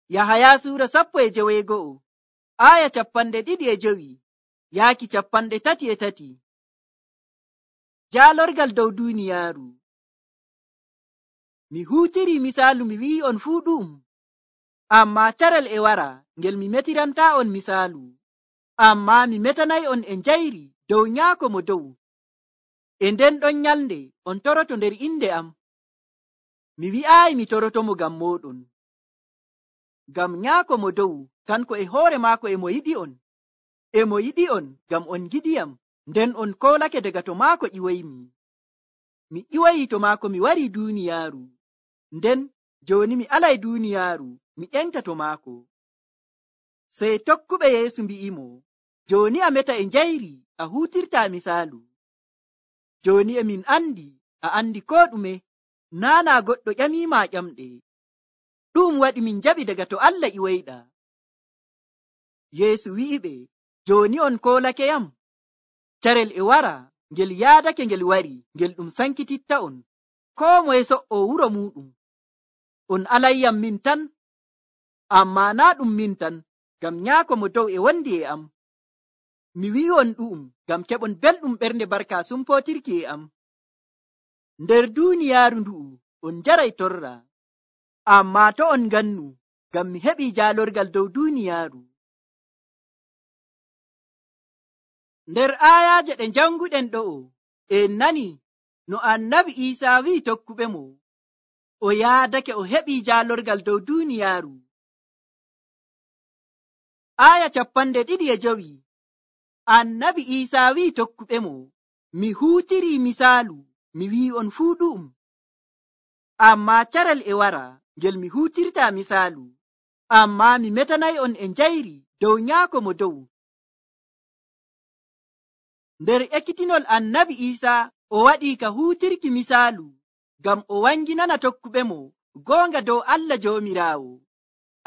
Yahaya suura 11 aya 25 yaaki 33. Jaalorgal dow duuniyaaru. Mi huutiri misaalu mi wi'i on fuu ɗu'um, ammaa carel e wara ngel mi metirantaa on misaalu, ammaa mi metanay on e njayri dow Nyaako mo dow. E nden ɗon nyalnde on toroto nder inde am. Mi wi'aayi mi torotomo ngam mooɗon. Ngam Nyaako mo dow kanko e hoore maako e mo yiɗi on. E mo yiɗi on ngam on giɗiyam, nden on koolake daga to maako ƴiwoymi. Mi ƴiwoyi to maako mi wari duuniyaaru, nden jooni mi alay duuniyaaru mi ƴenta to maako. Sey tokkuɓe Yeesu mbi'imo, jooni a meta e njayri, a huutirtaa misaalu. Jooni e min andi, a andi koo ɗume, naana goɗɗo ƴamiima ƴamɗe. Ɗum waɗi min jaɓi daga to Allah ƴiwoyɗaa. Yeesu wi'iɓe, jooni on koolakeyam. Carel e wara ngel yaadake ngel wari, ngel ɗum sankititta on, koo moye so'oo wuro muuɗum. On alayyam min tan, ammaa naa ɗum min tan, ngam Nyaako mo dow e wondi e am. Mi wi'on ɗu'um ngam keɓon belɗum ɓernde barka sumpootirki e am. Nder duuniyaaru ndu'u on njaray torra, ammaa to on ngannu, ngam mi heɓii jaalorgal dow duuniyaaru. Nder aayaaje ɗe janguɗen ɗo'o, en nani no Annabi Iisaa wi'i tokkuɓe mo, o yaadake o heɓii jaalorgal dow duuniyaaru. Aaya 25 Annabi Iisaa wi'i tokkuɓe mo, mi huutirii misaalu mi wi'i on fuu ɗu'um, ammaa carel e wara ngel mi huutirtaa misaalu, ammaa mi metanay on e njayri dow Nyaako mo dow. Nder ekkitinol Annabi Iisaa o waɗii ka huutirki misaalu ngam o wanginana tokkuɓe mo goonga dow Allah Joomiraawo,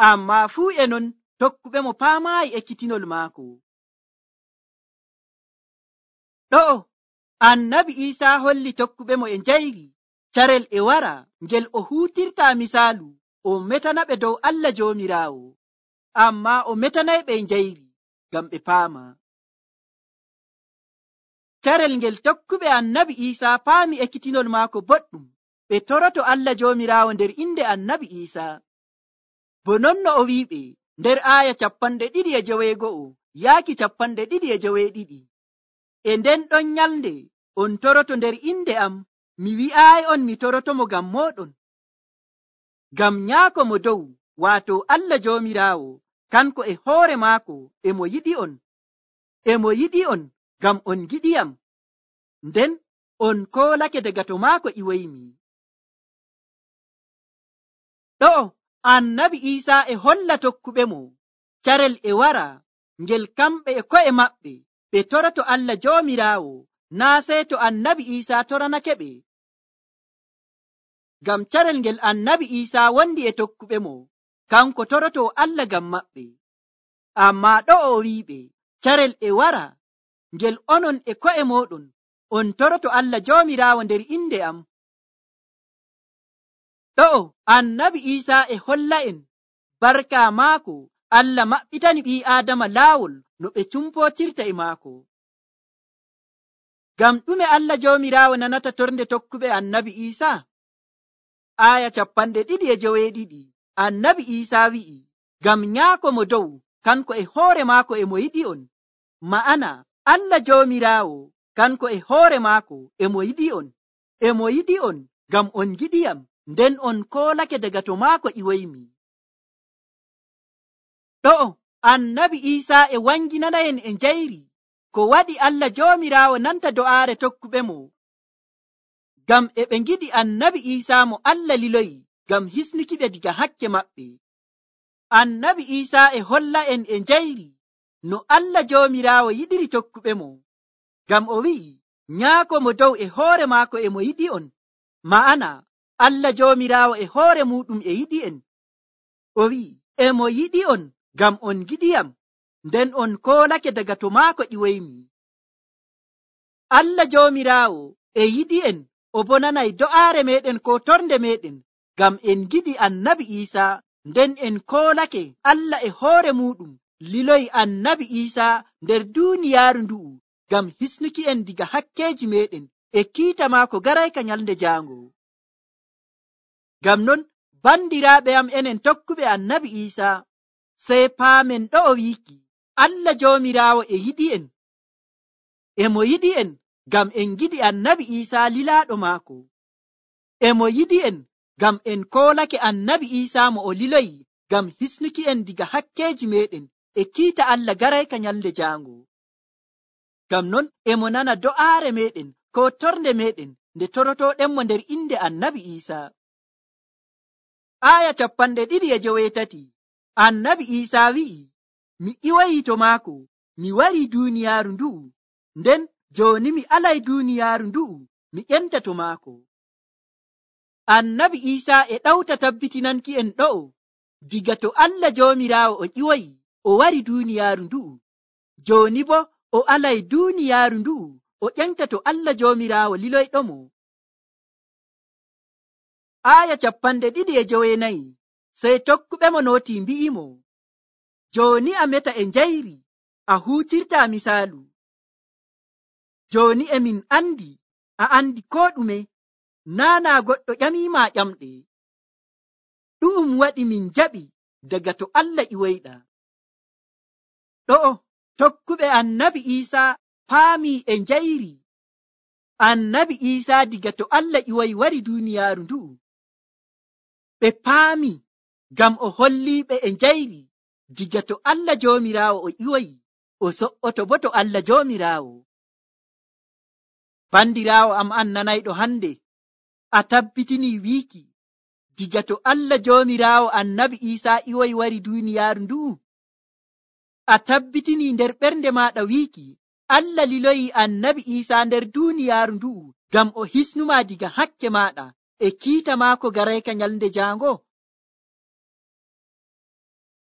ammaa fuu e non tokkuɓe mo paamaayi ekkitinol maako. Ɗo'o Annabi Iisaa holli tokkuɓe mo e njayri carel e wara ngel o huutirtaa misaalu o metanaɓe dow Allah Joomiraawo, ammaa o metanayɓe e njayri ngam ɓe paama. Carel ngel tokkuɓe Annabi Iisaa paami ekkitinol maako boɗɗum, ɓe toroto Allah Joomiraawo nder inde Annabi Iisaa. Bo non no o wi'iɓe nder aaya 29 yaaki 32. E nden ɗon nyalnde on toroto nder inde am, mi wi'aayi on mi torotomo ngam mooɗon. Ngam Nyaako mo dow, waato Allah Joomiraawo, kanko e hoore maako e mo yiɗi on. E mo yiɗi on ngam on giɗiyam, nden on koolake daga to maako ƴiwoymi. Ɗo'o Annabi Iisaa e holla tokkuɓe mo carel e wara ngel kamɓe e ko'e maɓɓe ɓe toroto Allah Joomiraawo, naa sey to Annabi Iisaa toranake ɓe. Ngam carel ngel Annabi Iisaa wondi e tokkuɓe mo, kanko toroto Allah ngam maɓɓe. Ammaa ɗo'o o wi'iɓe carel e wara ngel onon e ko'e mooɗon on toroto Allah Joomiraawo nder inde am. Ɗo'o Annabi Iisaa e holla en barka maako Allah maɓɓitani ɓii Aadama laawol no ɓe cumpootirta e maako. Ngam ɗume Allah Joomiraawo nanata tornde tokkuɓe Annabi Iisaa? Aaya 22 Annabi Iisaa wi'i, ngam Nyaako mo dow kanko e hoore maako e mo yiɗi on. Ma'ana Allah Joomiraawo kanko e hoore maako e mo yiɗi on. E mo yiɗi on ngam on giɗiyam, nden on koolake daga to maako ƴiwoymi. Ɗo'o Annabi Iisaa e wanginana en e njayri ko waɗi Allah Joomiraawo nanta do'aare tokkuɓe mo, ngam e ɓe ngiɗi Annabi Iisaa mo Allah liloyi ngam hisnukiɓe diga hakke maɓɓe. Annabi Iisaa e holla en e njayri no Allah Joomiraawo yiɗiri tokkuɓe mo, ngam o wi'i Nyaako mo dow e hoore maako e mo yiɗi on. Ma'ana Allah Joomiraawo e hoore muɗum e yiɗi en. O wi'i e mo yiɗi on ngam on giɗiyam, nden on koolake daga to maako ƴiwoymi. Allah Joomiraawo e yiɗi en, o bo nanay do'aare meɗen ko tornde meɗen, ngam en giɗi Annabi Iisaa nden en koolake Allah e hoore muɗum liloyi annabi Iisaa nder duuniyaaru ndu'u ngam hisnuki en diga hakkeeji meɗen e kiita maako garayka nyalnde jaango. Ngam non bandiraaɓe am enen tokkuɓe annabi Iisaa, sey paamen ɗo'o wiiki Allah Joomiraawo e yiɗi en. E mo yiɗi en ngam en giɗi annabi Iisaa lilaaɗo maako. E mo yiɗi en ngam en koolake annabi Iisaa mo o liloyi ngam hisnuki en diga hakkeeji meɗen e kiita Allah garayka nyalnde jaango. Ngam non e mo nana do'aare meɗen ko torde meɗen nde torotooɗenmo nder inde annabi Iisaa. Aya 28 annabi Iisaa wi'i, mi iwayi to maako, mi wari duuniyaaru ndu'u, nden jooni mi alay duuniyaaru ndu'u mi ƴenta to maako. Annabi Iisaa e ɗawta tabbitinanki en ɗo'o diga to Allah Joomiraawo o ƴiwoyi o wari duuniyaaru ndu'u, jooni bo o alay duuniyaaru ndu'u o ƴenta to Allah Joomiraawo liloyɗomo. Aya 29 sey tokkuɓemo nooti mbi'imo, jooni a meta e njayri a huutirta misaalu. Jooni e min andi a andi ko ɗume, naana goɗɗo ƴamiima ƴamɗe. Ɗu'um waɗi min jaɓi daga to Allah ƴiwoyɗa. Ɗo'o tokkuɓe annabi Iisaa paami e njayri annabi Iisaa diga to Allah ƴiwoyi wari duuniyaaru ndu'u. Ɓe paami ngam o holliiɓe e njayri diga to Allah Joomiraawo o ƴiwoyi o so'oto bo to Allah Joomiraawo. Bandiraawo am annanayɗo hande, a tabbitinii wiiki diga to Allah Joomiraawo annabi Iisaa ƴiwoyi wari duuniyaaru ndu'u? A tabbitinii nder ɓernde maaɗa wiiki Allah liloyi annabi Iisaa nder duuniyaaru ndu'u ngam o hisnuma diga hakke maaɗa e kiita maako garayka nyalnde jaango?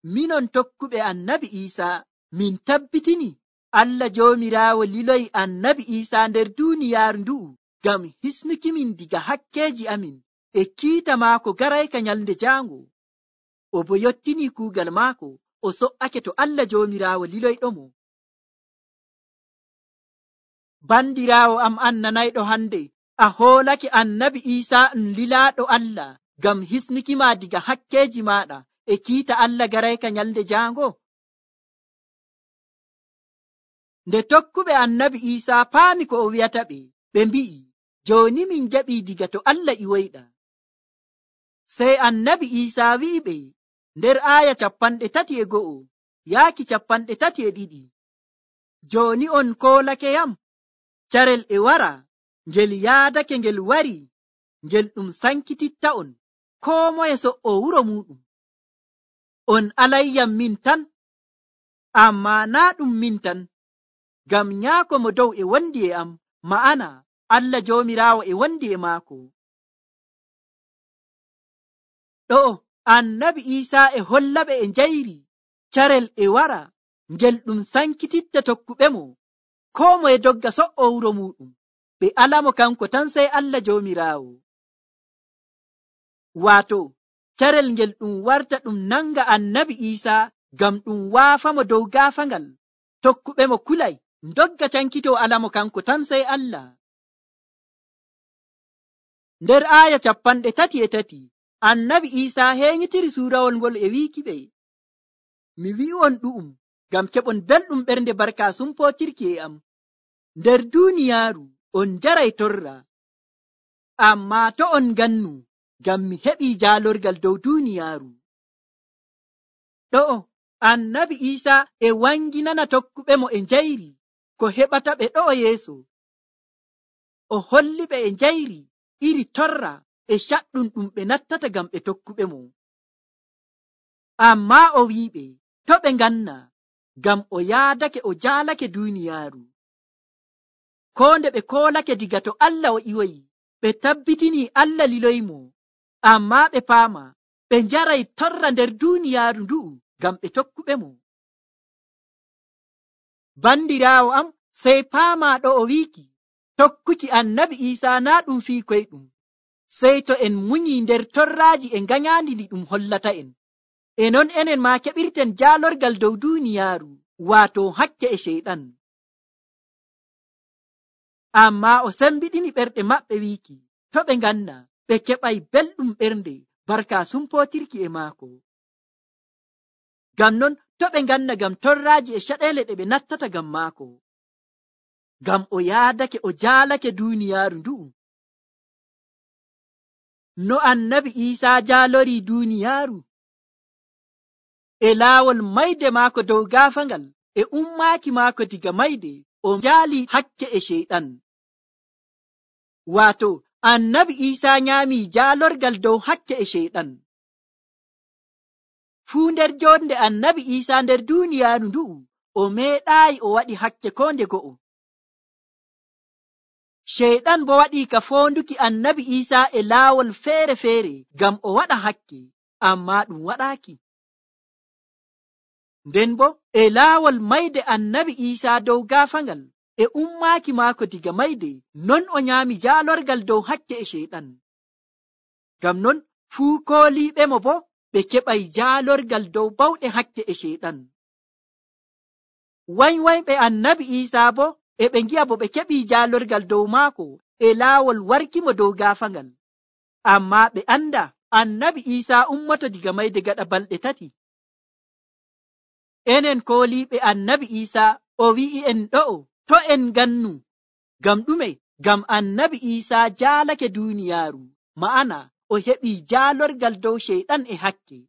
Minon tokkuɓe annabi Iisaa min tabbitini Allah Joomiraawo liloyi annabi Iisaa nder duuniyaaru ndu'u ngam hisnuki min diga hakkeeji amin e kiita maako garayka nyalnde jaango. O bo yottinii kuugal maako o so'ake to Allah Joomiraawo liloyɗomo. Bandiraawo am annanayɗo hande, a hoolake annabi Iisaa lilaaɗo Allah ngam hisnuki ma diga hakkeeji maaɗa e kiita Allah garayka nyalnde jaango. Nde tokkuɓe annabi Iisaa paami ko o wi'ata ɓe, ɓe mbi'i, jooni min jaɓii diga to Allah ƴiwoyɗa. Sey annabi Iisaa wi'i ɓe nder aya 31 yaaki 32, jooni on koolake yam, carel e wara ngel yaadake ngel wari, ngel ɗum sankititta on, koo moye so'o wuro muɗum. On alayyam min tan, ammaa naa ɗum min tan, ngam nyaako mo dow e wondi e am, ma'ana Allah Joomiraawo e wondi e maako. Ɗo'o annabi Iisaa e hollaɓe e njayri carel e wara ngel ɗum sankititta tokkuɓemo, koo moye dogga so'o wuro muɗum, ɓe alamo kanko tan sey Allah Joomiraawo. Waato carel ngel ɗum warta ɗum nanga annabi Iisaa ngam ɗum waafamo dow gaafangal, tokkuɓemo kulay dogga cankito alamo kanko tan sey Allah. Nder aya 33 annabi Iisaa heeñitiri suurawol ngol e wiiki ɓe, mi wi'on ɗu'um ngam keɓon belɗum ɓernde barka sumpootirki e am. Nder duuniyaaru on jaray torra, ammaa to on gannu ngam mi heɓii jaalorgal dow duuniyaaru. Ɗo'o annabi Iisaa e wanginana tokkuɓemo e njayri ko heɓata ɓe ɗo'o yeeso. O holli ɓe e njayri iri torra e caɗɗum ɗum ɓe nattata ngam ɓe tokkuɓemo. Ammaa o wi'iɓe to ɓe nganna ngam o yaadake o jaalake duuniyaaru. Koo nde ɓe koolake diga to Allah o ƴiwoyi, ɓe tabbitinii Allah liloymo, ammaa ɓe paama ɓe njaray torra nder duuniyaaru ndu'u ngam ɓe tokkuɓemo. Bandiraawo am, sey paama ɗo o wiiki tokkuki annabi Iisaa naa ɗum fii koyɗum, sey to en munyi nder torraaji e nganyaandi ndi ɗum hollata en. e non enen ma keɓirten jaalorgal dow duuniyaaru, waato hakke e sheyɗan. Amma o sembiɗini ɓerɗe maɓɓe wiiki to ɓe nganna ɓe keɓay belɗum ɓernde barka sumpootirki e maako. Ngam non to ɓe nganna ngam torraaji e caɗeele ɗe ɓe nattata ngam maako. Ngam o yaadake o jaalake duuniyaaru ndu'u. No annabi Iisaa jaalorii duuniyaaru e laawol mayde maako dow gaafangal e ummaaki maako diga mayde, o jaali hakke e sheyɗan. Waato annabi Iisaa nyaamii jaalorgal dow hakke e sheyɗan. Fuu nder jonde annabi Iisaa nder duuniyaaru ndu'u, o meeɗaayi o waɗi hakke ko nde go'o. Sheyɗan bo waɗii ka foonduki annabi Iisaa e laawol feere-feere ngam o waɗa hakke, ammaa ɗum waɗaaki. Nden bo e laawol mayde annabi Iisaa dow gaafangal e ummaaki maako diga mayde, non o nyaami jaalorgal dow hakke e sheyɗan. Ngam non fuu kooliiɓemo bo ɓe keɓay jaalorgal dow bawɗe hakke e sheyɗan. Wanywanyɓe annabi Iisaa bo e ɓe ngi'a bo ɓe keɓii jaalorgal dow maako e laawol warkimo dow gaafangal. Ammaa ɓe anda annabi Iisaa ummoto diga mayde gaɗa balɗe 3. Enen kooliiɓe annabi Iisaa o wi'i en ɗo'o to en ngannu. Ngam ɗume? Ngam annabi Iisaa jaalake duuniyaaru, ma'ana o heɓii jaalorgal dow sheyɗan e hakke.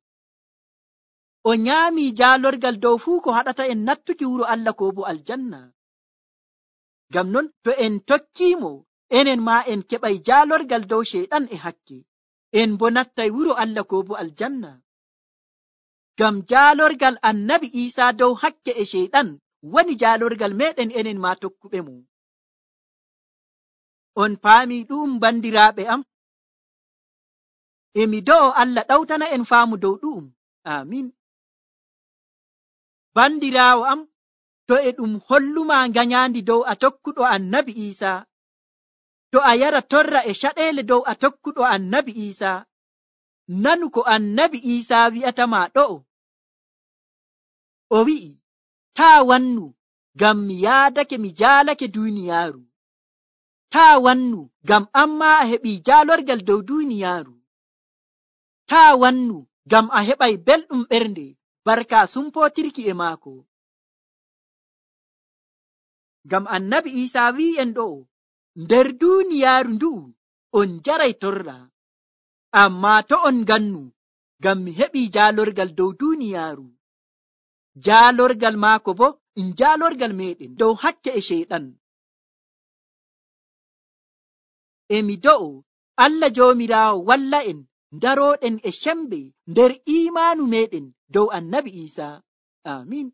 O nyaamii jaalorgal dow fuu ko haɗata en nattuki wuro Allah ko bo aljanna. Ngam non to en tokkiimo, enen ma en keɓay jaalorgal dow sheyɗan e hakke, en bo nattay wuro Allah ko bo aljanna. Ngam jaalorgal annabi Iisaa dow hakke e sheyɗan woni jaalorgal meɗen enen ma tokkuɓe mo. On paamii ɗum bandiraaɓe am? Emi do'o Allah ɗawtana en faamu dow ɗum. Amin. Bandiraawo am, to e ɗum holluma nganyandi dow a tokkuɗo annabi Iisaa, to a yara torra e caɗeele dow a tokkuɗo annabi Iisaa, nanu ko annabi Iisaa wi'atama ɗo'o. O wi'i, taa wannu, ngam mi yaadake mi jaalake duuniyaaru. Taa wannu, ngam amma a heɓii jaalorgal dow duuniyaaru. Taa wannu, ngam a heɓay belɗum ɓernde barka sumpootirki e maako. Ngam annabi Iisaa wi'en ɗo'o, nder duuniyaaru ndu'u on jaray torra, ammaa to on ngannu, ngam mi heɓii jaalorgal dow duuniyaaru. Jaalorgal maako bo jaalorgal meɗen dow hakke e sheyɗan. Emi do'o Allah Joomiraawo walla en darooɗen e sembe nder iimaanu meɗen dow annabi Iisaa. Amin.